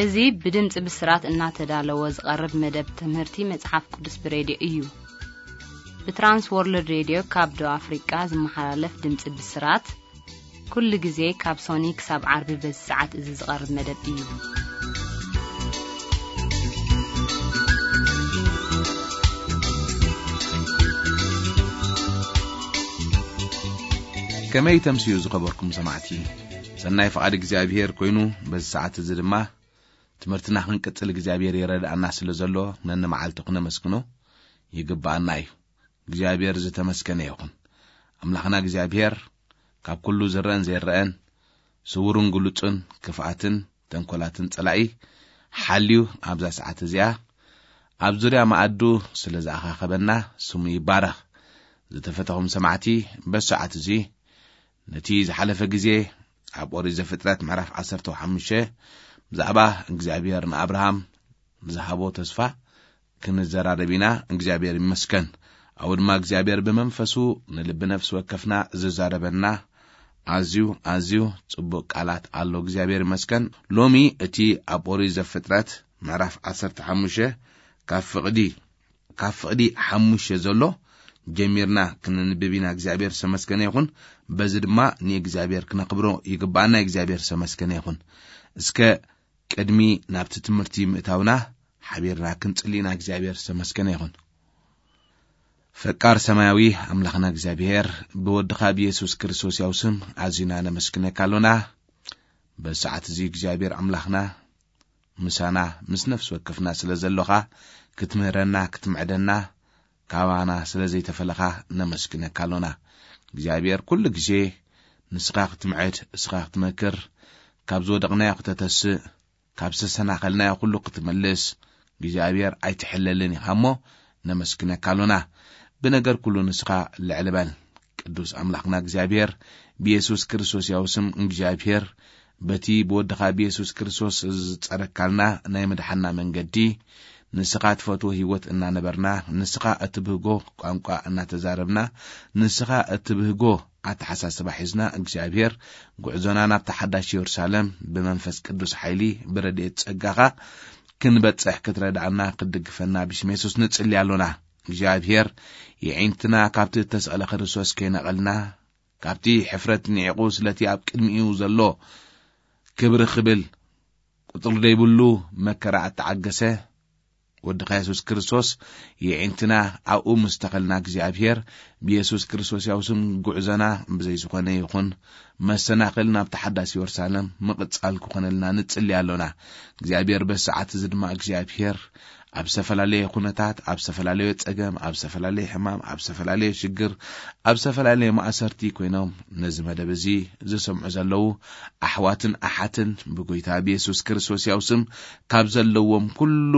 እዚ ብድምፂ ብስራት እናተዳለወ ዝቐርብ መደብ ትምህርቲ መጽሓፍ ቅዱስ ብሬድዮ እዩ። ብትራንስ ወርልድ ሬድዮ ካብ ደቡብ ኣፍሪቃ ዝመሓላለፍ ድምፂ ብስራት፣ ኩሉ ግዜ ካብ ሶኒ ክሳብ ዓርቢ በዚ ሰዓት እዚ ዝቐርብ መደብ እዩ። ከመይ ተምስዩ ዝኸበርኩም ሰማዕቲ? ሰናይ ፍቓድ እግዚኣብሔር ኮይኑ፣ በዚ ሰዓት እዚ ድማ ትምህርትና ክንቅጽል እግዚኣብሔር ይረድኣና ስለ ዘሎ፣ ነንመዓልቱ ክነመስግኖ ይግብኣና እዩ። እግዚኣብሔር ዝተመስገነ ይኹን። ኣምላኽና እግዚኣብሔር ካብ ኩሉ ዝረአን ዘይረአን፣ ስውርን ግሉጽን፣ ክፍኣትን ተንኮላትን ጸላኢ ሓልዩ ኣብዛ ሰዓት እዚኣ ኣብ ዙርያ መኣዱ ስለ ዝኣኻኸበና ስሙ ይባረኽ። ዝተፈተኹም ሰማዕቲ፣ በዚ ሰዓት እዚ ነቲ ዝሓለፈ ግዜ ኣብ ኦሪት ዘፍጥረት ምዕራፍ ዓሰርተ ሓሙሽተ ብዛዕባ እግዚኣብሔር ንኣብርሃም ዝሃቦ ተስፋ ክንዘራረብ ኢና። እግዚኣብሔር ይመስገን። ኣብኡ ድማ እግዚኣብሔር ብመንፈሱ ንልቢ ነፍሲ ወከፍና ዝዛረበና ኣዝዩ፣ ኣዝዩ ጽቡቕ ቃላት ኣሎ። እግዚኣብሔር ይመስገን። ሎሚ እቲ ኣብ ኦሪት ዘፍጥረት ምዕራፍ ዓሰርተ ሓሙሽተ ካብ ፍቕዲ፣ ካብ ፍቕዲ ሓሙሽተ ዘሎ ጀሚርና ክንንብብ ኢና። እግዚኣብሔር ዝተመስገነ ይኹን። በዚ ድማ ንእግዚኣብሔር ክነኽብሮ ይግብኣና። እግዚኣብሔር ዝተመስገነ ይኹን። እስከ ቅድሚ ናብቲ ትምህርቲ ምእታውና ሓቢርና ክንጽሊ ኢና። እግዚኣብሔር ዝተመስገነ ይኹን። ፈቃር ሰማያዊ ኣምላኽና እግዚኣብሔር፣ ብወድኻ ብየሱስ ክርስቶስ ያው ስም ኣዚና ነመስግነካ ኣሎና። በዚ ሰዓት እዚ እግዚኣብሔር ኣምላኽና ምሳና ምስ ነፍሲ ወከፍና ስለ ዘሎኻ፣ ክትምህረና፣ ክትምዕደና፣ ካባና ስለ ዘይተፈለኻ ነመስግነካ ኣሎና። እግዚኣብሔር፣ ኩሉ ግዜ ንስኻ ክትምዕድ፣ እስኻ ክትመክር፣ ካብ ዝወደቕናዮ ክተተስእ፣ ካብ ዝተሰናኸልናዮ ኩሉ ክትምልስ እግዚኣብሔር ኣይትሕለልን ኢኻ እሞ ነመስግነካ ኣሎና። ብነገር ኩሉ ንስኻ ልዕሊ በል። ቅዱስ ኣምላኽና እግዚኣብሔር፣ ብየሱስ ክርስቶስ ያው ስም እግዚኣብሔር፣ በቲ ብወድኻ ብየሱስ ክርስቶስ ዝጸረካልና ናይ ምድሓንና መንገዲ፣ ንስኻ ትፈትዎ ህይወት እናነበርና፣ ንስኻ እትብህጎ ቋንቋ እናተዛረብና፣ ንስኻ እትብህጎ ኣተሓሳስባ ሒዝና፣ እግዚኣብሔር፣ ጉዕዞና ናብታ ሓዳሽ የሩሳሌም ብመንፈስ ቅዱስ ሓይሊ፣ ብረድኤት ጸጋኻ ክንበጽሕ ክትረድኣና፣ ክትድግፈና ብሽም የሱስ ንጽሊ ኣሎና። እግዚኣብሔር፣ የዒንትና ካብቲ እተሰቕለ ክርስቶስ ከይነቐልና፣ ካብቲ ሕፍረት ንዒቑ ስለቲ ኣብ ቅድሚኡ ዘሎ ክብሪ ክብል ቁጽሪ ዘይብሉ መከራ እተዓገሰ ወድኻ የሱስ ክርስቶስ የዒንትና ኣብኡ ምስ ተኸልና እግዚኣብሔር ብየሱስ ክርስቶስ ያው ስም ጉዕዞና ብዘይ ዝኾነ ይኹን መሰናኽል ናብቲ ሓዳስ የሩሳሌም ምቕጻል ክኾነልና ንጽሊ ኣሎና። እግዚኣብሔር በዚ ሰዓት እዚ ድማ እግዚኣብሔር ኣብ ዝተፈላለየ ኩነታት፣ ኣብ ዝተፈላለየ ጸገም፣ ኣብ ዝተፈላለየ ሕማም፣ ኣብ ዝተፈላለየ ሽግር፣ ኣብ ዝተፈላለየ ማእሰርቲ ኮይኖም ነዚ መደብ እዚ ዝሰምዑ ዘለዉ ኣሕዋትን ኣሓትን ብጎይታ ብየሱስ ክርስቶስ ያው ስም ካብ ዘለዎም ኩሉ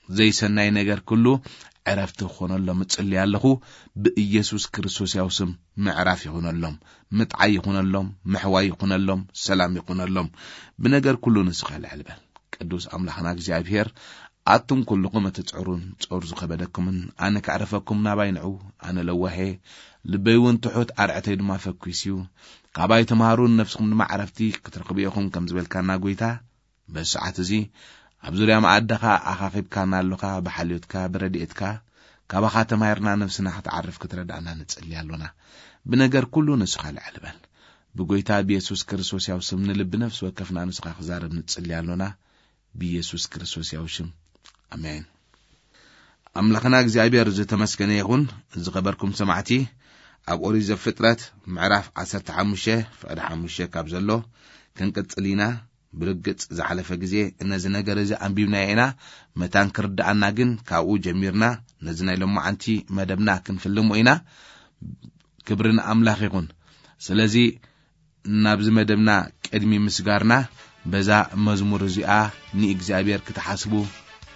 ዘይሰናይ ነገር ኩሉ ዕረፍቲ ክኾነሎም እጽሊ ኣለኹ። ብኢየሱስ ክርስቶስ ያው ስም ምዕራፍ ይኹነሎም፣ ምጥዓይ ይኹነሎም፣ ምሕዋይ ይኹነሎም፣ ሰላም ይኹነሎም። ብነገር ኩሉ ንስኻ ልዕል በል። ቅዱስ ኣምላኽና እግዚኣብሔር፣ ኣቱም ኩልኹም እትጽዕሩን ጾር ዝኸበደኩምን፣ ኣነ ከዕርፈኩም ናባይ ንዑ፣ ኣነ ለዋሄ፣ ልበይ እውን ትሑት፣ ኣርዕተይ ድማ ፈኲስ እዩ። ካባይ ተምሃሩን ነፍስኹም ድማ ዕረፍቲ ክትረኽቡ ኢኹም ከም ዝበልካና ጐይታ፣ በዚ ሰዓት እዚ ኣብ ዙርያ መኣድኻ ኣኻኺብካና ኣሎኻ፣ ብሓልዮትካ፣ ብረድኤትካ፣ ካባኻ ተማሂርና ነፍስና ክትዓርፍ ክትረዳእና ንጽሊ ኣሎና። ብነገር ኩሉ ንስኻ ልዕል በል። ብጐይታ ብየሱስ ክርስቶስ ያው ስም ንልቢ ነፍሲ ወከፍና ንስኻ ክዛረብ ንጽሊ ኣሎና። ብየሱስ ክርስቶስ ያው ሽም። ኣሜን። ኣምላኽና እግዚኣብሔር ዝተመስገነ ይኹን። ዝኸበርኩም ሰማዕቲ፣ ኣብ ኦሪት ዘፍጥረት ምዕራፍ ዓሰርተ ሓሙሽተ ፍቕዲ ሓሙሽተ ካብ ዘሎ ክንቅጽል ኢና። ብርግጽ ዝሓለፈ ግዜ ነዚ ነገር እዚ ኣንቢብናዮ ኢና። መታን ክርድኣና ግን ካብኡ ጀሚርና ነዚ ናይ ሎማዓንቲ መደብና ክንፍልሞ ኢና። ክብሪ ንኣምላኽ ይኹን። ስለዚ ናብዚ መደብና ቅድሚ ምስጋርና በዛ መዝሙር እዚኣ ንእግዚኣብሔር ክትሓስቡ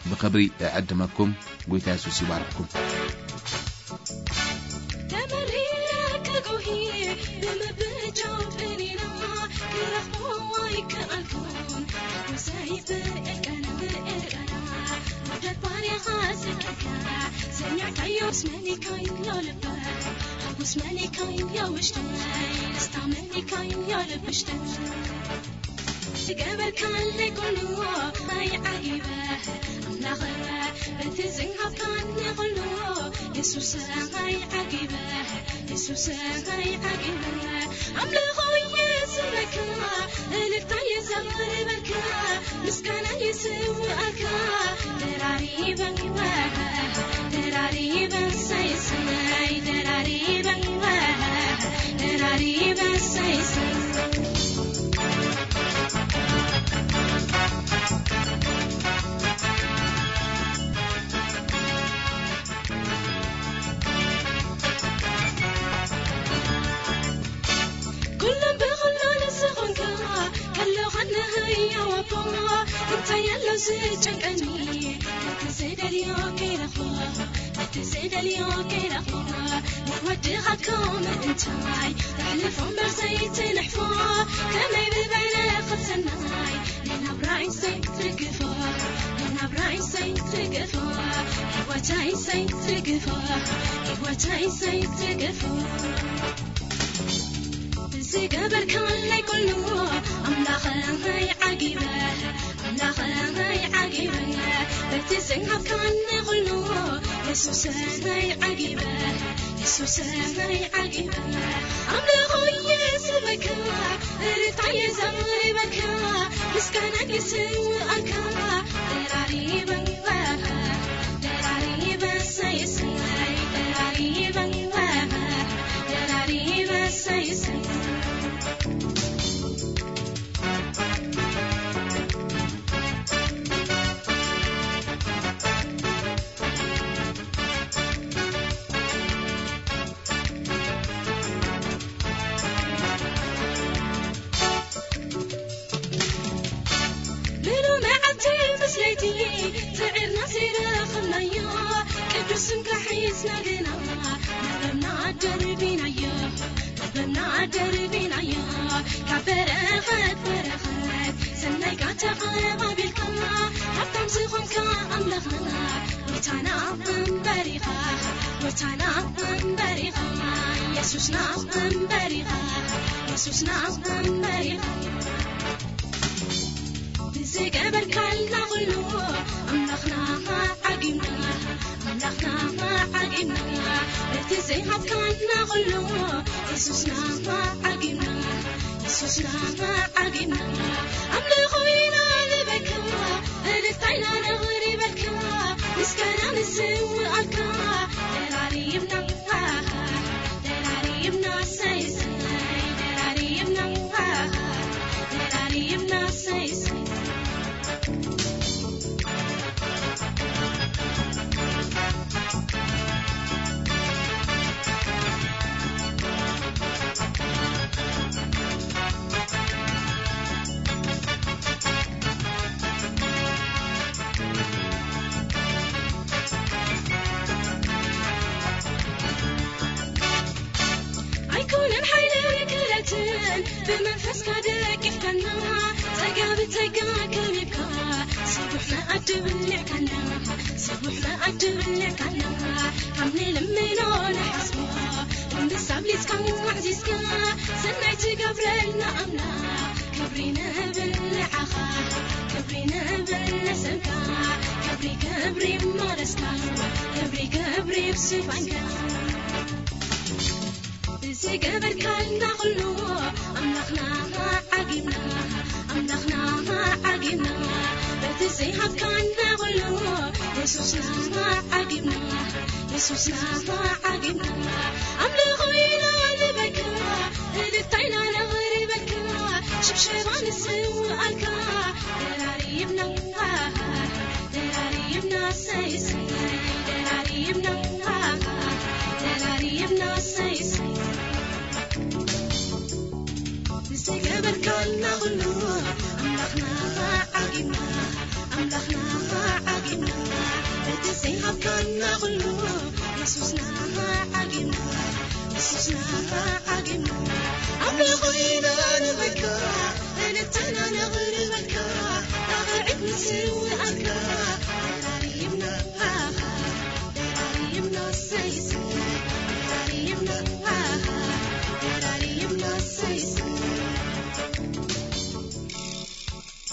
ብኽብሪ እዕድመኩም። ጎይታ የሱስ ይባርኽኩም። ተመሪረ ክጉሂ ብምብጃው ጸኒና ክረኽቦ ኣይከኣልኩን። ሓጎሰይ ብእልቀና ብእልቀና ውደት ባርያኻ ስቀካ ሰሚዕካዮ ስመኒካዮ ልበይ ሓጎስ መኒካዮ ውሽጠይ ደስታ መኒካዮ ልብ ውሽጠይ ዝገበርካለይ ኩሉ ኣይዓጊበ ኣምላኸ፣ በቲ ዝሃብካኒ ኩሉ የሱሰ ኣይዓጊበ፣ የሱሰ ኣይዓጊበ። ኣምልኾ የስመካ፣ እልልታ የዘምርበካ፣ ምስጋና የስውኣካ፣ ደራሪበ፣ ደራሪበ፣ ሰይሰይ፣ ደራሪበ፣ ደራሪበ፣ ሰይሰይ። ኩሎም ብኹሉ ንስኹንካ ከለኻ ንህያው ኣቦ፣ እንታይ ኣሎ ዝጨንቀኒ? ነቲ ዝደልዮ ከይረኽቦ፣ ነቲ ዝደልዮ ከይረኽቦ፣ ንወድኻ ከምኡ እንታይ? ተሕልፎ እምበር ዘይትንሕፎ፣ ከመይ ብበረኸት ሰናይ፣ ንናብራይ ዘይትርግፎ፣ ንናብራይ ዘይትርግፎ፣ ህይወተይ ዘይትርግፎ፣ ህይወተይ ዘይትርግፎ። ዝገበርካለይ ኩሉ ኣምላኸይ ዓጊበ፣ ኣምላኸይ ዓጊበ፣ በቲ ዝሃብካኒ ኩሉ የሱሰይ ዓጊበ፣ የሱሰይ ዓጊበ። ኣምልኾ የስበካ፣ እልልታ የዘምርበካ፣ ምስጋና የስውኣካ፣ ደራሪበ፣ ደራሪበ፣ ሰይሰይ፣ ደራሪበ፣ ደራሪበ፣ ሰይሰይ። ብሉ መዓልቲ ምስ ለይቲ ጽዒርና ዘይረኸብናዮ ቅዱስ ስምካ ሒዝና ግና መርበብና ደርቢናዮ፣ መርበብና ደርቢናዮ። ካብ በረኸት በረኸት ሰናይካ ተቐባቢልካ፣ ሃብታም ዝኾንካ ኣምላኽና፣ ጎይታና እምበር ኢኻ፣ ጎይታና እምበር ኢኻ፣ የሱስና እምበር ኢኻ፣ የሱስና እምበር ኢኻ። ብዝገበርካልና ኩሉ ኣምላኽና ዓጊብና፣ ኣምላኽና ዓጊብና፣ በቲ ዘይሃብካና ኩሉ የሱስና ዓጊብና፣ የሱስና ዓጊብና። ኣምልኾ ኢና ንበካ፣ እልልታ ኢና ነቕርበልካ፣ ምስጋና ንስውኣልካ። ደራሪብና፣ ደራሪብና፣ ሰይ፣ ሰይ፣ ደራሪብና፣ ደራሪብና፣ ሰይ፣ ሰይ። ኣይኮነን ሓይልን ክእለትን ብመንፈስካ ደጊፍካና፣ ጸጋ ብጸጋ ከቢብካ፣ ስቡሕ መኣዲ ብሊዕካና፣ ስቡሕ መኣዲ ብሊዕካና፣ ካብ ንልምኖ ንሓስቦ እምብዛ ኣብሊጽካ ኣዕዚዝካ፣ ሰናይ ትገብረልና ኣምላኽ፣ ክብሪ ንብል ንዓኻ፣ ክብሪ ንብል ንስምካ፣ ክብሪ ክብሪ እሞ ደስካ፣ ክብሪ ክብሪ ብስፋንካ። ብዝገበርካልና ኩሉ ኣምላኽና ዓጊብና፣ ኣምላኽና ዓጊብና፣ በቲ ዘይሃብካና ኩሉ የሱስና ዓጊብና፣ የሱስና ዓጊብና። ኣምልኾ ኢና ንበልካ፣ እልልታ ኢና ነቕርበልካ፣ ሽብሸባ ንስውኣልካ። ደራሪብና፣ ደራሪብና፣ ሰይ፣ ሰይ፣ ደራሪብና፣ ደራሪብና፣ ሰይ፣ ሰይ። ዝገበርካልና ኩሉ ኣምላኽና ዓጊብና፣ ኣምላኽና ዓጊብና፣ እቲ ዘይሃብካና ኩሉ የሱስና ዓጊብና፣ የሱስና ዓጊብና። ኣምልኾ ኢና ንበልካ፣ እልልታ ኢና ነቕርበልካ፣ ኣኽዒት ንስውኣልካ። ደራሪብና፣ ደራሪብና፣ ሰይ፣ ሰይ፣ ደራሪብና፣ ደራሪብና፣ ሰይ፣ ሰይ።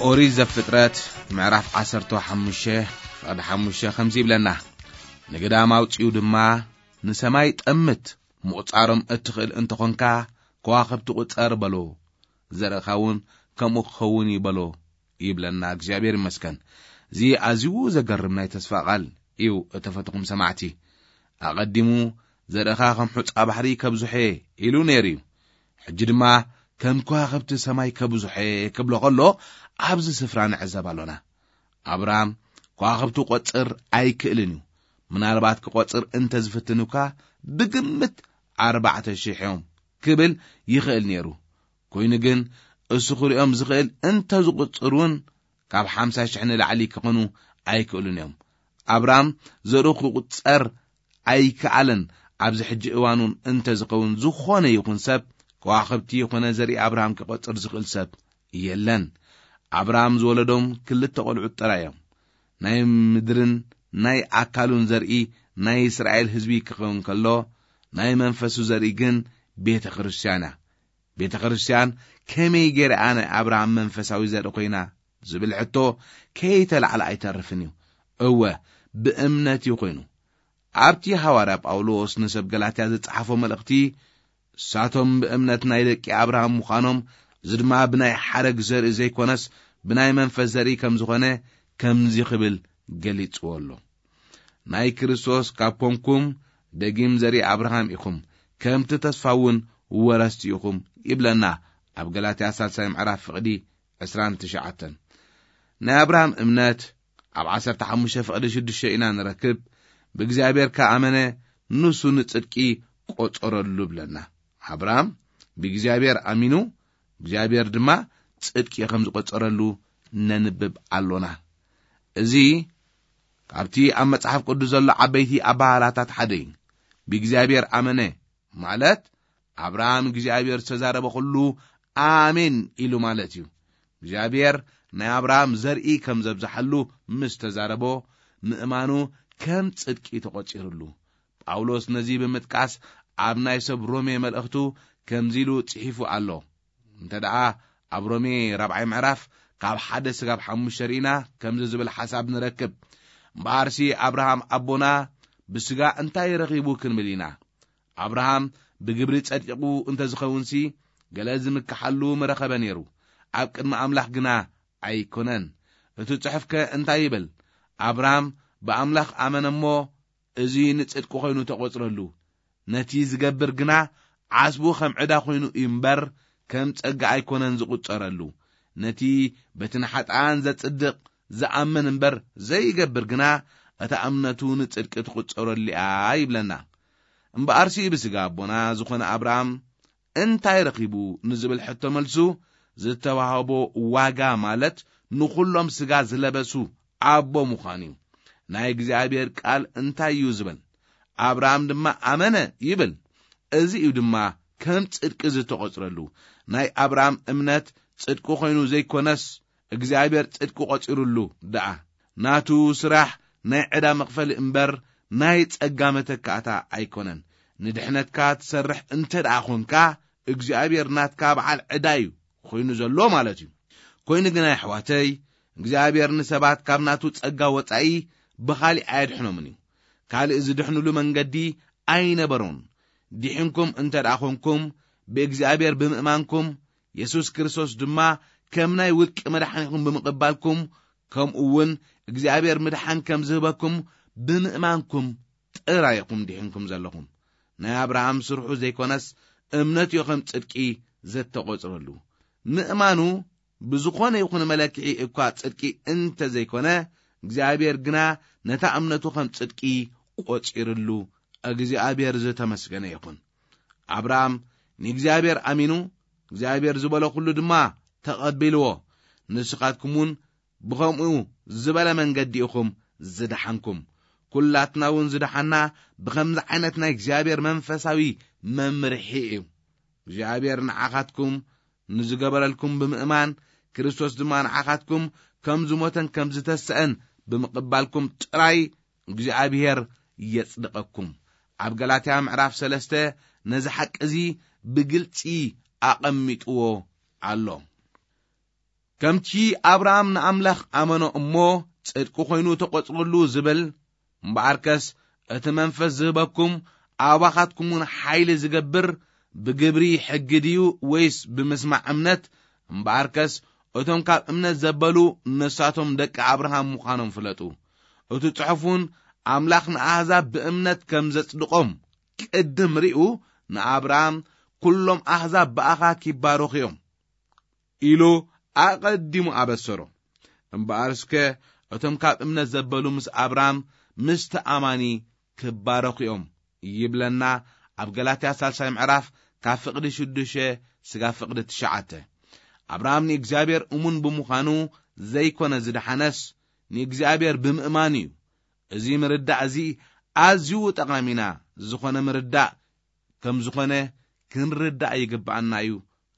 ኦሪት ዘፍጥረት ምዕራፍ ዓሰርተ ሓሙሽተ ፍቕዲ ሓሙሽተ ከምዚ ይብለና፣ "ንግዳም ኣውጺኡ ድማ ንሰማይ ጠምት፣ ምቑጻሮም እትኽእል እንተኾንካ ከዋኽብቲ ቁጸር በሎ፣ ዘርእኻ እውን ከምኡ ክኸውን እዩ በሎ" ይብለና። እግዚኣብሔር ይመስገን። እዚ ኣዝዩ ዘገርም ናይ ተስፋ ቃል እዩ። እተፈትኹም ሰማዕቲ፣ ኣቐዲሙ "ዘርእኻ ከም ሑጻ ባሕሪ ከብዝሖ" ኢሉ ነይሩ እዩ። ሕጂ ድማ "ከም ከዋኽብቲ ሰማይ ከብዝሖ" ክብሎ ከሎ ኣብዚ ስፍራ ንዕዘብ ኣሎና። ኣብርሃም ከዋኽብቲ ቆጽር ኣይክእልን እዩ። ምናልባት ክቆጽር እንተ ዝፍትን እኳ ብግምት ኣርባዕተ ሽሕ እዮም ክብል ይኽእል ነይሩ። ኮይኑ ግን እሱ ክሪኦም ዝኽእል እንተ ዝቁጽር እውን ካብ ሓምሳ ሽሕ ንላዕሊ ክኾኑ ኣይክእሉን እዮም። ኣብርሃም ዘርኡ ክቁጸር ኣይከኣለን። ኣብዚ ሕጂ እዋን እውን እንተ ዝኸውን ዝኾነ ይኹን ሰብ ከዋኽብቲ ይኹነ ዘርኢ ኣብርሃም ክቆጽር ዝኽእል ሰብ የለን። ኣብርሃም ዝወለዶም ክልተ ቆልዑት ጥራይ እዮም። ናይ ምድርን ናይ ኣካሉን ዘርኢ ናይ እስራኤል ህዝቢ ክኸውን ከሎ፣ ናይ መንፈሱ ዘርኢ ግን ቤተ ክርስቲያን እያ። ቤተ ክርስቲያን ከመይ ገይራ ናይ ኣብርሃም መንፈሳዊ ዘርኢ ኮይና ዝብል ሕቶ ከይተላዕለ ኣይተርፍን እዩ። እወ፣ ብእምነት እዩ ኮይኑ። ኣብቲ ሃዋርያ ጳውሎስ ንሰብ ገላትያ ዝጸሓፎ መልእኽቲ፣ "እሳቶም ብእምነት ናይ ደቂ ኣብርሃም ምዃኖም፣ እዚ ድማ ብናይ ሓረግ ዘርኢ ዘይኮነስ ብናይ መንፈስ ዘርኢ ከም ዝኾነ" ከምዚ ክብል ገሊጽዎ ኣሎ፣ "ናይ ክርስቶስ ካብ ኮንኩም ደጊም ዘርኢ ኣብርሃም ኢኹም፣ ከምቲ ተስፋ እውን ወረስቲ ኢኹም" ይብለና ኣብ ገላትያ ሳልሳይ ምዕራፍ ፍቕዲ ዕስራን ትሽዓተን። ናይ ኣብርሃም እምነት ኣብ ዓሰርተ ሓሙሽተ ፍቕዲ ሽዱሽተ ኢና ንረክብ። "ብእግዚኣብሔር ከኣመነ ንሱ ንጽድቂ ቆጸረሉ" ብለና። ኣብርሃም ብእግዚኣብሔር ኣሚኑ፣ እግዚኣብሔር ድማ ጽድቂ ከም ዝቆጸረሉ ነንብብ ኣሎና። እዚ ካብቲ ኣብ መጽሓፍ ቅዱስ ዘሎ ዓበይቲ ኣባህላታት ሓደ እዩ። "ብእግዚኣብሔር ኣመነ" ማለት ኣብርሃም እግዚኣብሔር ዝተዛረበ ኩሉ ኣሜን ኢሉ ማለት እዩ። እግዚኣብሔር ናይ ኣብርሃም ዘርኢ ከም ዘብዝሓሉ ምስ ተዛረቦ፣ ምእማኑ ከም ጽድቂ ተቖጺሩሉ። ጳውሎስ ነዚ ብምጥቃስ ኣብ ናይ ሰብ ሮሜ መልእኽቱ ከምዚ ኢሉ ጽሒፉ ኣሎ። እንተ ደኣ ኣብ ሮሜ ራብዓይ ምዕራፍ ካብ ሓደ ስጋብ ሓሙሽተ ርኢና ከምዚ ዝብል ሓሳብ ንረክብ፣ "እምበኣርሲ ኣብርሃም ኣቦና ብስጋ እንታይ ረኺቡ?" ክንብል ኢና። ኣብርሃም ብግብሪ ጸዲቑ እንተ ዝኸውንሲ፣ ገለ ዝምክሓሉ ምረኸበ ነይሩ፣ ኣብ ቅድሚ ኣምላኽ ግና ኣይኮነን። እቲ ጽሑፍከ እንታይ ይብል? "ኣብርሃም ብኣምላኽ ኣመነ እሞ፣ እዚ ንጽድቂ ኾይኑ ተቖጽረሉ። ነቲ ዝገብር ግና ዓስቡ ኸም ዕዳ ኾይኑ እዩ እምበር፣ ከም ጸጋ ኣይኮነን ዝቑጸረሉ። ነቲ በቲ ንሓጥኣን ዘጽድቕ ዝኣምን እምበር ዘይገብር ግና፣ እታ እምነቱ ንጽድቂ ትቑጸረሉ እያ" ይብለና። እምበኣርሲ ብስጋ ኣቦና ዝኾነ ኣብርሃም እንታይ ረኺቡ ንዝብል ሕቶ መልሱ፣ ዝተዋህቦ ዋጋ ማለት ንኹሎም ስጋ ዝለበሱ ኣቦ ምዃን እዩ። ናይ እግዚኣብሔር ቃል እንታይ እዩ ዝብል? "ኣብርሃም ድማ ኣመነ" ይብል። እዚ እዩ ድማ ከም ጽድቂ ዝተቖጽረሉ። ናይ ኣብርሃም እምነት ጽድቂ ኮይኑ ዘይኮነስ፣ እግዚኣብሔር ጽድቂ ቆጺሩሉ ደኣ። ናቱ ስራሕ ናይ ዕዳ መኽፈሊ እምበር ናይ ጸጋ መተካእታ ኣይኮነን። ንድሕነትካ ትሰርሕ እንተ ደኣ ኾንካ፣ እግዚኣብሔር ናትካ በዓል ዕዳ እዩ ኮይኑ ዘሎ ማለት እዩ። ኮይኑ ግን ኣሕዋተይ፣ እግዚኣብሔር ንሰባት ካብ ናቱ ጸጋ ወጻኢ ብኻሊእ ኣየድሕኖምን እዩ። ካልእ ዝድሕኑሉ መንገዲ ኣይነበሮን። ድሒንኩም እንተ ደኣ ኾንኩም፣ ብእግዚኣብሔር ብምእማንኩም፣ የሱስ ክርስቶስ ድማ ከም ናይ ውልቂ መድሓኒኹም ብምቕባልኩም፣ ከምኡ እውን እግዚኣብሔር ምድሓን ከም ዝህበኩም ብምእማንኩም ጥራይ ኢኹም ድሒንኩም ዘለኹም። ናይ ኣብርሃም ስርሑ ዘይኮነስ እምነቱ እዩ ከም ጽድቂ ዘተቖጽረሉ። ምእማኑ ብዝኾነ ይኹን መለክዒ እኳ ጽድቂ እንተ ዘይኮነ፣ እግዚኣብሔር ግና ነታ እምነቱ ከም ጽድቂ ቆጺርሉ። እግዚኣብሔር ዝተመስገነ ይኹን። ኣብርሃም ንእግዚኣብሔር ኣሚኑ፣ እግዚኣብሔር ዝበሎ ኩሉ ድማ ተቐቢልዎ። ንስኻትኩም እውን ብኸምኡ ዝበለ መንገዲ ኢኹም ዝደሓንኩም። ኩላትና እውን ዝደሓና ብኸምዚ ዓይነት ናይ እግዚኣብሔር መንፈሳዊ መምርሒ እዩ። እግዚኣብሔር ንዓኻትኩም ንዝገበረልኩም ብምእማን፣ ክርስቶስ ድማ ንዓኻትኩም ከም ዝሞተን ከም ዝተሰአን ብምቕባልኩም ጥራይ እግዚኣብሔር የጽድቐኩም። ኣብ ገላትያ ምዕራፍ ሰለስተ ነዚ ሓቂ እዚ ብግልጺ ኣቐሚጥዎ ኣሎ። ከምቲ ኣብርሃም ንኣምላኽ ኣመኖ እሞ ጽድቂ ኮይኑ ተቖጽረሉ ዝብል፣ እምበኣርከስ እቲ መንፈስ ዝህበኩም ኣባኻትኩም እውን ሓይሊ ዝገብር ብግብሪ ሕጊ ድዩ ወይስ ብምስማዕ እምነት? እምበኣርከስ እቶም ካብ እምነት ዘበሉ ንሳቶም ደቂ ኣብርሃም ምዃኖም ፍለጡ። እቲ ጽሑፍ እውን ኣምላኽ ንኣህዛብ ብእምነት ከም ዘጽድቖም ቅድም ሪኡ ንኣብርሃም፣ "ኩሎም ኣህዛብ ብኣኻ ኪባረኹ እዮም" ኢሉ ኣቐዲሙ ኣበሰሮ። እምበኣርስከ እቶም ካብ እምነት ዘበሉ ምስ ኣብርሃም ምስቲ ኣማኒ ክባረኹ እዮም ይብለና ኣብ ገላትያ ሳልሳይ ምዕራፍ ካብ ፍቕዲ ሽዱሽተ ስጋብ ፍቕዲ ትሽዓተ። ኣብርሃም ንእግዚኣብሔር እሙን ብምዃኑ ዘይኮነ ዝደሓነስ ንእግዚኣብሔር ብምእማኑ እዩ። እዚ ምርዳእ እዚ ኣዝዩ ጠቓሚና ዝኾነ ምርዳእ ከም ዝኾነ ክንርዳእ ይግብኣና እዩ።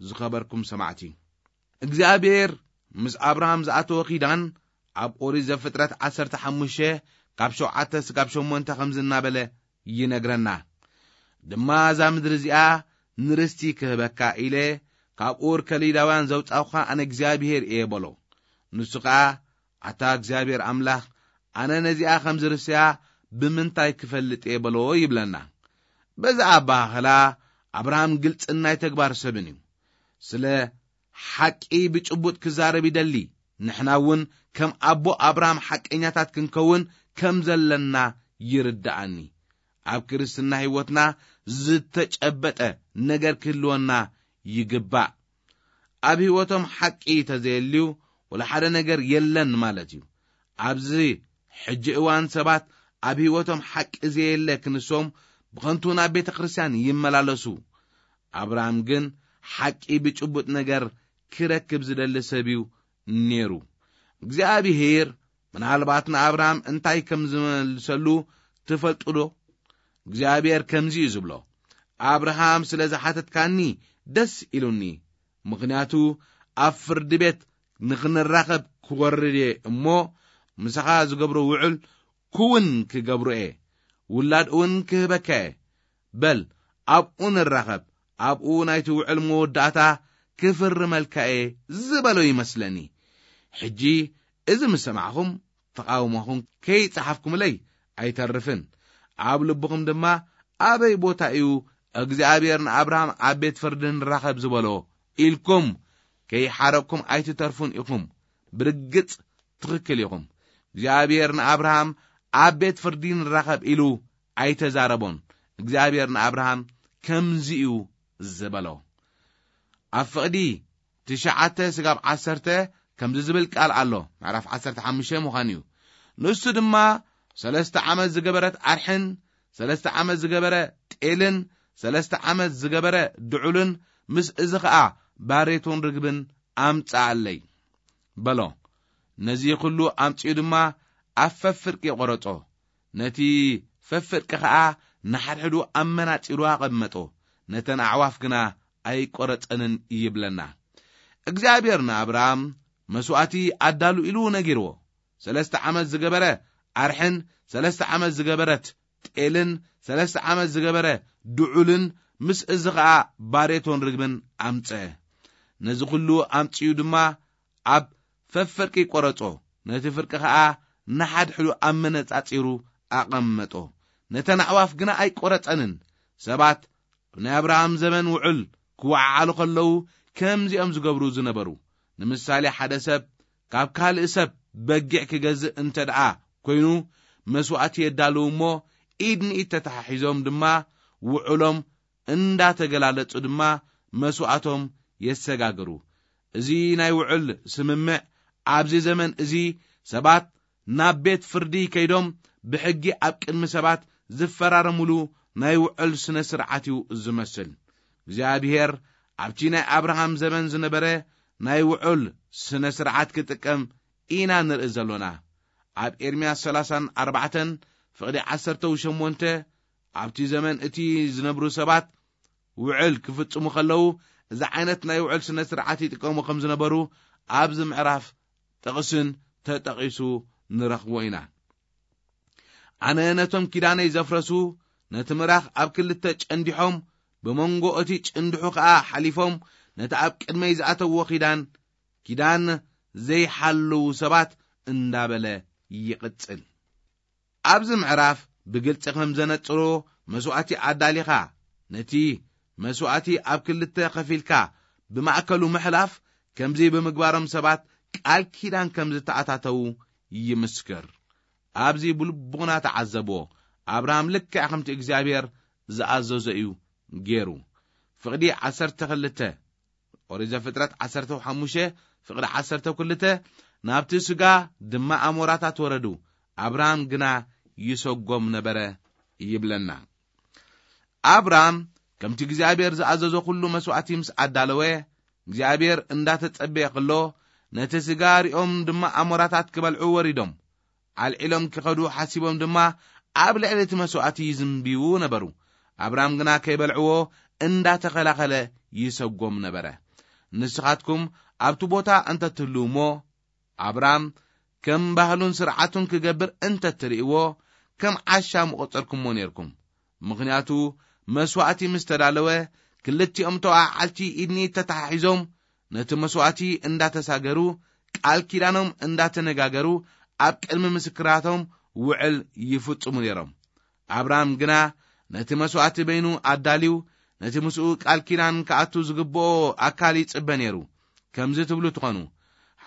ዝኸበርኩም ሰማዕቲ፣ እግዚኣብሔር ምስ ኣብርሃም ዝኣተወ ኪዳን ኣብ ኦሪት ዘፍጥረት ዓሰርተ ሓሙሽተ ካብ ሸውዓተ ስጋብ ሸሞንተ ከምዚ እናበለ ይነግረና። "ድማ እዛ ምድሪ እዚኣ ንርስቲ ክህበካ ኢለ ካብ ኡር ከሊዳውያን ዘውጻኹኻ ኣነ እግዚኣብሔር እየ" በሎ። ንሱ ኸኣ፣ "ኣታ እግዚኣብሔር ኣምላኽ፣ ኣነ ነዚኣ ከም ዝርስያ ብምንታይ ክፈልጥ እየ?" በሎ ይብለና። በዚ ኣበሃህላ ኣብርሃም ግልጽን ናይ ተግባር ሰብን እዩ። ስለ ሓቂ ብጭቡጥ ክዛረብ ይደሊ። ንሕና እውን ከም ኣቦ ኣብርሃም ሓቀኛታት ክንከውን ከም ዘለና ይርድኣኒ። ኣብ ክርስትና ህይወትና ዝተጨበጠ ነገር ክህልወና ይግባእ። ኣብ ህይወቶም ሓቂ ተዘየልዩ ወላ ሓደ ነገር የለን ማለት እዩ። ኣብዚ ሕጂ እዋን ሰባት ኣብ ህይወቶም ሓቂ ዘየለ ክንሶም ብኸንቱ ናብ ቤተ ክርስቲያን ይመላለሱ። ኣብርሃም ግን ሓቂ ብጭቡጥ ነገር ክረክብ ዝደሊ ሰብ እዩ ነይሩ። እግዚኣብሔር ምናልባት ንኣብርሃም እንታይ ከም ዝመልሰሉ ትፈልጡ ዶ? እግዚኣብሔር ከምዚ እዩ ዝብሎ፣ "ኣብርሃም ስለ ዝሓተትካኒ ደስ ኢሉኒ፣ ምኽንያቱ ኣብ ፍርዲ ቤት ንኽንራኸብ ክወርድ እየ እሞ፣ ምሳኻ ዝገብሮ ውዕል ክውን ክገብሮ እየ፣ ውላድ እውን ክህበካ እየ። በል ኣብኡ ንራኸብ፣ ኣብኡ ናይቲ ውዕል መወዳእታ ክፍርመልካ እየ" ዝበሎ ይመስለኒ። ሕጂ እዚ ምስ ሰማዕኹም ተቓውሞኹም ከይጸሓፍኩምለይ ኣይተርፍን። ኣብ ልብኹም ድማ፣ "ኣበይ ቦታ እዩ እግዚኣብሔር ንኣብርሃም ኣብ ቤት ፍርዲ ንራኸብ ዝበሎ?" ኢልኩም ከይሓረቅኩም ኣይትተርፉን ኢኹም። ብርግጽ ትኽክል ኢኹም። እግዚኣብሔር ንኣብርሃም ኣብ ቤት ፍርዲ ንራኸብ ኢሉ ኣይተዛረቦን። እግዚኣብሔር ንኣብርሃም ከምዚ እዩ ዝበሎ። ኣብ ፍቕዲ ትሽዓተ ስጋብ ዓሰርተ ከምዚ ዝብል ቃል ኣሎ፣ ምዕራፍ ዓሰርተ ሓሙሽተ ምዃን እዩ። ንሱ ድማ ሰለስተ ዓመት ዝገበረት ኣርሕን ሰለስተ ዓመት ዝገበረ ጤልን ሰለስተ ዓመት ዝገበረ ድዑልን ምስ እዚ ኸኣ ባሬቶን ርግብን ኣምጽኣለይ በሎ። ነዚ ኹሉ ኣምጺኡ ድማ ኣብ ፈፍርቂ ቈረጾ። ነቲ ፈፍርቂ ኸኣ ንሓድሕዱ ኣመናጺሩ ኣቐመጦ። ነተን ኣዕዋፍ ግና ኣይቈረጸንን ይብለና። እግዚኣብሔር ንኣብርሃም መስዋእቲ ኣዳሉ ኢሉ ነጊርዎ። ሰለስተ ዓመት ዝገበረ ኣርሕን ሰለስተ ዓመት ዝገበረት ጤልን ሰለስተ ዓመት ዝገበረ ድዑልን ምስ እዚ ኸኣ ባሬቶን ርግብን ኣምጸ። ነዚ ኹሉ ኣምጺኡ ድማ ኣብ ፈፍርቂ ቈረጾ፣ ነቲ ፍርቂ ኸኣ ንሓድሕዱ ኣመነጻጺሩ ኣቐመጦ። ነተን ኣዕዋፍ ግና ኣይቈረጸንን። ሰባት ኣብ ናይ ኣብርሃም ዘመን ውዕል ክወዓዓሉ ኸለዉ ከምዚኦም ዝገብሩ ዝነበሩ። ንምሳሌ፣ ሓደ ሰብ ካብ ካልእ ሰብ በጊዕ ክገዝእ እንተ ደኣ ኰይኑ፣ መስዋእቲ የዳልዉ እሞ፣ ኢድ ንኢድ ተተሓሒዞም ድማ ውዕሎም እንዳተገላለጹ ድማ መስዋእቶም የሰጋግሩ። እዚ ናይ ውዕል ስምምዕ ኣብዚ ዘመን እዚ ሰባት ናብ ቤት ፍርዲ ከይዶም ብሕጊ ኣብ ቅድሚ ሰባት ዝፈራረሙሉ ናይ ውዕል ስነ ስርዓት እዩ ዝመስል። እግዚኣብሔር ኣብቲ ናይ ኣብርሃም ዘመን ዝነበረ ናይ ውዕል ስነ ስርዓት ክጥቀም ኢና ንርኢ ዘሎና። ኣብ ኤርምያስ ሰላሳን ኣርባዕተን ፍቕዲ ዓሰርተ ሸሞንተ፣ ኣብቲ ዘመን እቲ ዝነብሩ ሰባት ውዕል ክፍጽሙ ከለዉ፣ እዚ ዓይነት ናይ ውዕል ስነ ስርዓት ይጥቀሙ ከም ዝነበሩ ኣብዚ ምዕራፍ ጥቕስን ተጠቒሱ ንረኽቦ ኢና። ኣነ ነቶም ኪዳነይ ዘፍረሱ፣ ነቲ ምራኽ ኣብ ክልተ ጨንዲሖም፣ ብመንጎ እቲ ጭንድሑ ኸኣ ሓሊፎም፣ ነቲ ኣብ ቅድመይ ዝኣተውዎ ኪዳን፣ ኪዳን ዘይሓልዉ ሰባት እንዳበለ ይቕጽል። ኣብዚ ምዕራፍ ብግልጺ ከም ዘነጽሮ፣ መስዋእቲ ኣዳሊኻ፣ ነቲ መስዋእቲ ኣብ ክልተ ከፊልካ ብማእከሉ ምሕላፍ፣ ከምዚ ብምግባሮም ሰባት ቃል ኪዳን ከም ዝተኣታተዉ ይምስክር። ኣብዚ ብልቡና ተዓዘብዎ። ኣብርሃም ልክዕ ከምቲ እግዚኣብሔር ዝኣዘዞ እዩ ገይሩ። ፍቕዲ ዓሰርተ ክልተ፣ ኦሪት ዘፍጥረት ዓሰርተ ሓሙሽተ ፍቕዲ ዓሰርተ ክልተ፣ ናብቲ ስጋ ድማ ኣሞራታት ወረዱ፣ ኣብርሃም ግና ይሰጎም ነበረ ይብለና። ኣብርሃም ከምቲ እግዚኣብሔር ዝኣዘዞ ኩሉ መስዋእቲ ምስ ኣዳለወ፣ እግዚኣብሔር እንዳተጸበየ ከሎ፣ ነቲ ስጋ ሪኦም ድማ ኣሞራታት ክበልዑ ወሪዶም። ኣልዒሎም ክኸዱ ሓሲቦም ድማ ኣብ ልዕሊ እቲ መስዋእቲ ይዝንብዩ ነበሩ። ኣብርሃም ግና ከይበልዕዎ እንዳተኸላኸለ ይሰጎም ነበረ። ንስኻትኩም ኣብቲ ቦታ እንተትህልዉ እሞ፣ ኣብርሃም ከም ባህሉን ስርዓቱን ክገብር እንተትርእይዎ፣ ከም ዓሻ ምቖጸርኩሞ ኔርኩም። ምኽንያቱ፣ መስዋእቲ ምስ ተዳለወ፣ ክልቲኦም ተወዓዓልቲ ኢድኒ ተተሓሒዞም፣ ነቲ መስዋእቲ እንዳተሳገሩ፣ ቃል ኪዳኖም እንዳተነጋገሩ፣ ኣብ ቅድሚ ምስክራቶም ውዕል ይፍጽሙ ነይሮም። ኣብርሃም ግና ነቲ መስዋእቲ በይኑ ኣዳልዩ፣ ነቲ ምስኡ ቃል ኪዳን ክኣቱ ዝግብኦ ኣካል ይጽበ ነይሩ። ከምዚ ትብሉ ትኾኑ፣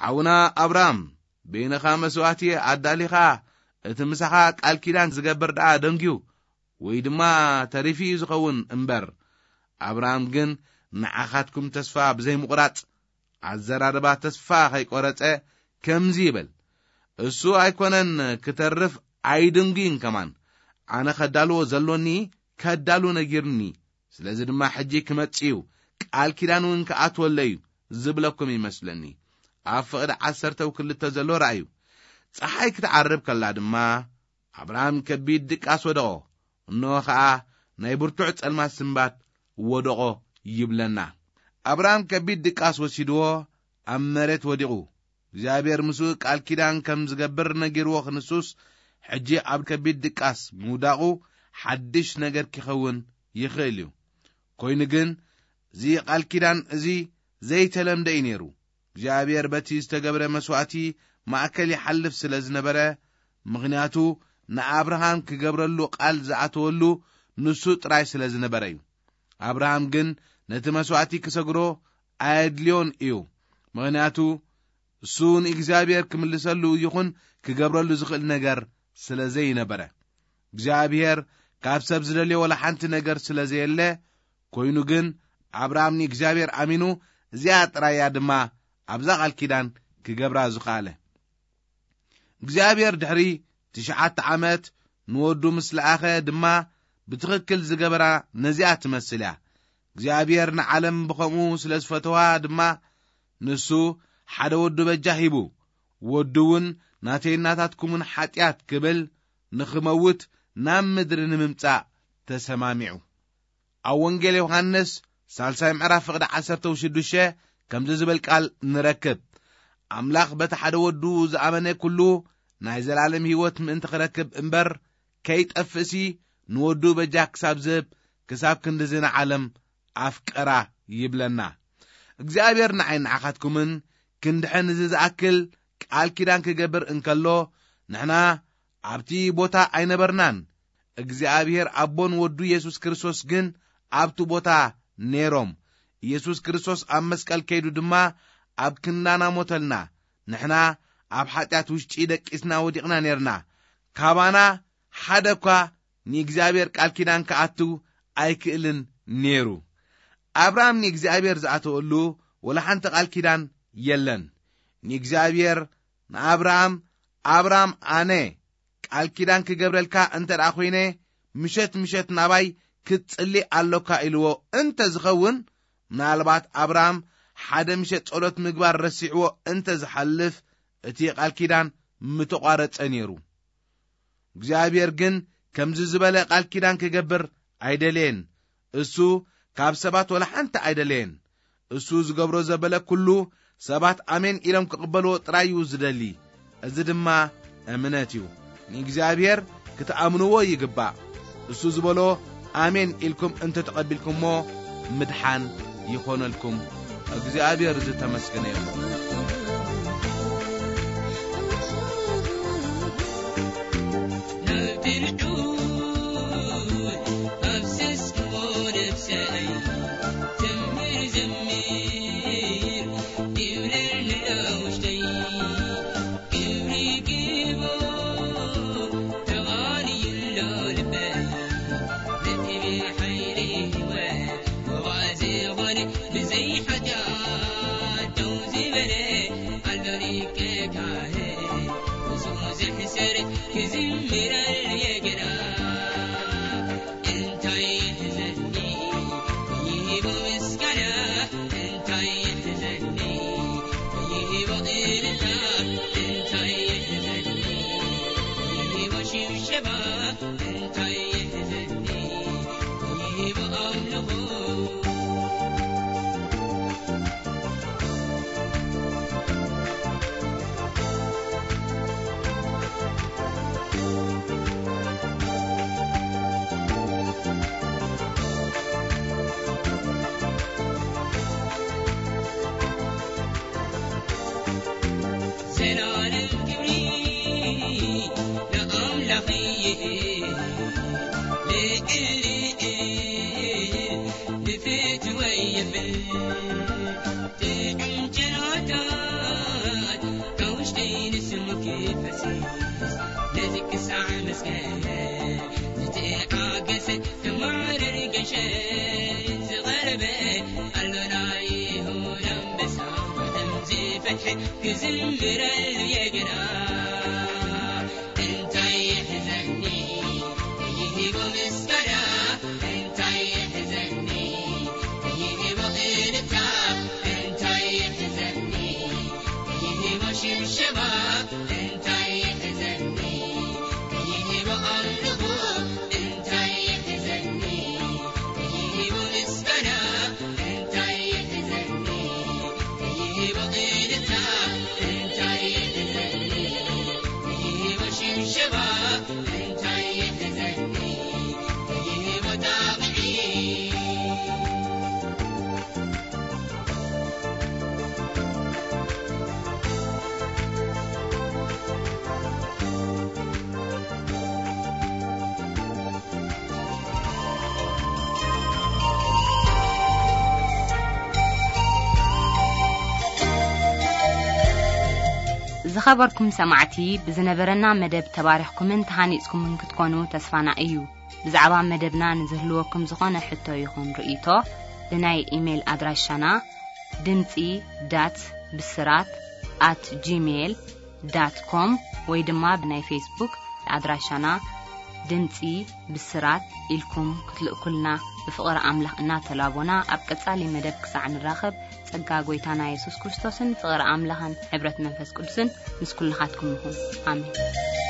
"ሓውና ኣብርሃም፣ በይንኻ መስዋእቲ ኣዳሊኻ፣ እቲ ምሳኻ ቃል ኪዳን ዝገብር ደኣ ደንግዩ፣ ወይ ድማ ተሪፉ እዩ ዝኸውን እምበር፣ ኣብርሃም ግን ንዓኻትኩም ተስፋ ብዘይምቑራጽ ኣዘራርባ ተስፋ ኸይቆረጸ ከምዚ ይብል፣ እሱ ኣይኮነን ክተርፍ ኣይድንጉይን ከማን፣ ኣነ ኸዳልዎ ዘሎኒ ከዳሉ ነጊርኒ፣ ስለዚ ድማ ሕጂ ክመጽእ እዩ፣ ቃል ኪዳን እውን ክኣትወለ እዩ ዝብለኩም ይመስለኒ። ኣብ ፍቕዲ ዓሰርተ ክልተ ዘሎ ራእዩ። ጸሓይ ክትዓርብ ከላ ድማ ኣብርሃም ከቢድ ድቃስ ወደቖ። እንሆ ኸኣ ናይ ብርቱዕ ጸልማት ስንባት ወደቖ ይብለና። ኣብርሃም ከቢድ ድቃስ ወሲድዎ ኣብ መሬት ወዲቑ። እግዚኣብሔር ምስኡ ቃል ኪዳን ከም ዝገብር ነጊርዎ ክንሱስ፣ ሕጂ ኣብ ከቢድ ድቃስ ምውዳቑ ሓድሽ ነገር ክኸውን ይኽእል እዩ። ኮይኑ ግን፣ እዚ ቃል ኪዳን እዚ ዘይተለምደ እዩ ነይሩ። እግዚኣብሔር በቲ ዝተገብረ መስዋእቲ ማእከል ይሓልፍ ስለ ዝነበረ፣ ምኽንያቱ ንኣብርሃም ክገብረሉ ቃል ዝኣተወሉ ንሱ ጥራይ ስለ ዝነበረ እዩ። ኣብርሃም ግን ነቲ መስዋእቲ ክሰግሮ ኣየድልዮን እዩ። ምኽንያቱ እሱ ንእግዚኣብሔር ክምልሰሉ ይኹን ክገብረሉ ዝኽእል ነገር ስለ ዘይነበረ። እግዚኣብሔር ካብ ሰብ ዝደልዮ ወላ ሓንቲ ነገር ስለ ዘየለ፣ ኮይኑ ግን ኣብርሃም ንእግዚኣብሔር ኣሚኑ፣ እዚኣ ጥራይ እያ ድማ ኣብዛ ቃል ኪዳን ክገብራ ዝኸኣለ። እግዚኣብሔር ድሕሪ ትሽዓተ ዓመት ንወዱ ምስ ለኣኸ ድማ ብትኽክል ዝገበራ ነዚኣ ትመስል እያ። እግዚኣብሔር ንዓለም ብኸምኡ ስለ ዝፈተዋ ድማ ንሱ ሓደ ወዱ በጃ ሂቡ። ወዱ እውን ናተይ ናታትኩምን ሓጢኣት ክብል ንኽመውት ናብ ምድሪ ንምምጻእ ተሰማሚዑ። ኣብ ወንጌል ዮሃንስ ሳልሳይ ምዕራፍ ፍቕዲ ዓሰርተ ሽዱሽተ ከምዚ ዝብል ቃል ንረክብ፣ "ኣምላኽ በቲ ሓደ ወዱ ዝኣመነ ኩሉ ናይ ዘላለም ህይወት ምእንቲ ክረክብ እምበር ከይጠፍእሲ ንወዱ በጃ ክሳብ ዝህብ ክሳብ ክንድዚ ንዓለም ኣፍቀራ" ይብለና። እግዚኣብሔር ንዓይ ንዓኻትኩምን ክንድሕን እዚ ዝኣክል ቃል ኪዳን ክገብር እንከሎ፣ ንሕና ኣብቲ ቦታ ኣይነበርናን። እግዚኣብሔር ኣቦን ወዱ የሱስ ክርስቶስ ግን ኣብቲ ቦታ ነይሮም። ኢየሱስ ክርስቶስ ኣብ መስቀል ከይዱ ድማ ኣብ ክንዳና ሞተልና። ንሕና ኣብ ሓጢኣት ውሽጢ ደቂስና ወዲቕና ነይርና። ካባና ሓደ እኳ ንእግዚኣብሔር ቃል ኪዳን ክኣቱ ኣይክእልን ነይሩ። ኣብርሃም ንእግዚኣብሔር ዝኣተወሉ ወላ ሓንቲ ቃል ኪዳን የለን። ንእግዚኣብሔር ንኣብርሃም፣ "ኣብርሃም፣ ኣነ ቃል ኪዳን ክገብረልካ እንተ ደኣ ኾይነ፣ ምሸት ምሸት ናባይ ክትጽሊ ኣሎካ" ኢልዎ እንተ ዝኸውን፣ ምናልባት ኣብርሃም ሓደ ምሸት ጸሎት ምግባር ረሲዕዎ እንተ ዝሓልፍ፣ እቲ ቃል ኪዳን ምተቋረጸ ነይሩ። እግዚኣብሔር ግን ከምዚ ዝበለ ቃል ኪዳን ክገብር ኣይደለየን። እሱ ካብ ሰባት ወላ ሓንቲ ኣይደለየን። እሱ ዝገብሮ ዘበለ ኩሉ ሰባት ኣሜን ኢሎም ክቕበልዎ ጥራይ እዩ ዝደሊ። እዚ ድማ እምነት እዩ። ንእግዚኣብሔር ክትኣምንዎ ይግባእ። እሱ ዝበሎ ኣሜን ኢልኩም እንተተቐቢልኩሞ ምድሓን ይኾነልኩም። እግዚኣብሔር ዝተመስገነ ይኹን። እንታይ ይሕዘኒ ይህቦ ኣምልኾ። ዘላለም ክብሪ ንኣምላኽ ይህብ፣ ልዕል ልዕል ንፍትወይ የብል። ጥዑም ጨናታት ካብ ውሽጠይ ንስሙ ክፈስስ፣ ነዚ ክሳዕ መስቀል ዝተዓገሰ ክማረር ገሸ ዝቐረበ ኣሎና ይሁዳ ኣንበሳ፣ ዓለም ዝፈትሐ ክዝምረሉ የገና። እንታይ ይሕዘኒ ይህቦ ምስጋና፣ እንታይ ይሕዘኒ ይህቦ እልልታ፣ እንታይ ይሕዘኒ ይህቦ ሽብሸባ፣ እንታይ ይሕዘኒ ይህቦ ኣምልኾ፣ እንታይ ይሕዘኒ ይህቦ ምስጋና፣ እንታይ ይሕዘኒ ይህቦ እልልታ፣ እንታይ ይሕዘኒ ይህቦ ሽብሸባ፣ እንታይ ይሕዘኒ ይህቦ ጣቕዒት። ዝኸበርኩም ሰማዕቲ፣ ብዝነበረና መደብ ተባሪኽኩምን ተሃኒጽኩምን ክትኮኑ ተስፋና እዩ። ብዛዕባ መደብና ንዝህልወኩም ዝኾነ ሕቶ ይኹን ርእይቶ፣ ብናይ ኢሜይል ኣድራሻና ድምጺ ዳት ብስራት ኣት ጂሜይል ዳት ኮም ወይ ድማ ብናይ ፌስቡክ ኣድራሻና ድምጺ ብስራት ኢልኩም ክትልእኩልና ብፍቕሪ ኣምላኽ እናተላቦና፣ ኣብ ቀጻሊ መደብ ክሳዕ ንራኸብ፣ ጸጋ ጐይታና የሱስ ክርስቶስን ፍቕሪ ኣምላኽን ሕብረት መንፈስ ቅዱስን ምስ ኩልኻትኩም ይኹን። ኣሜን።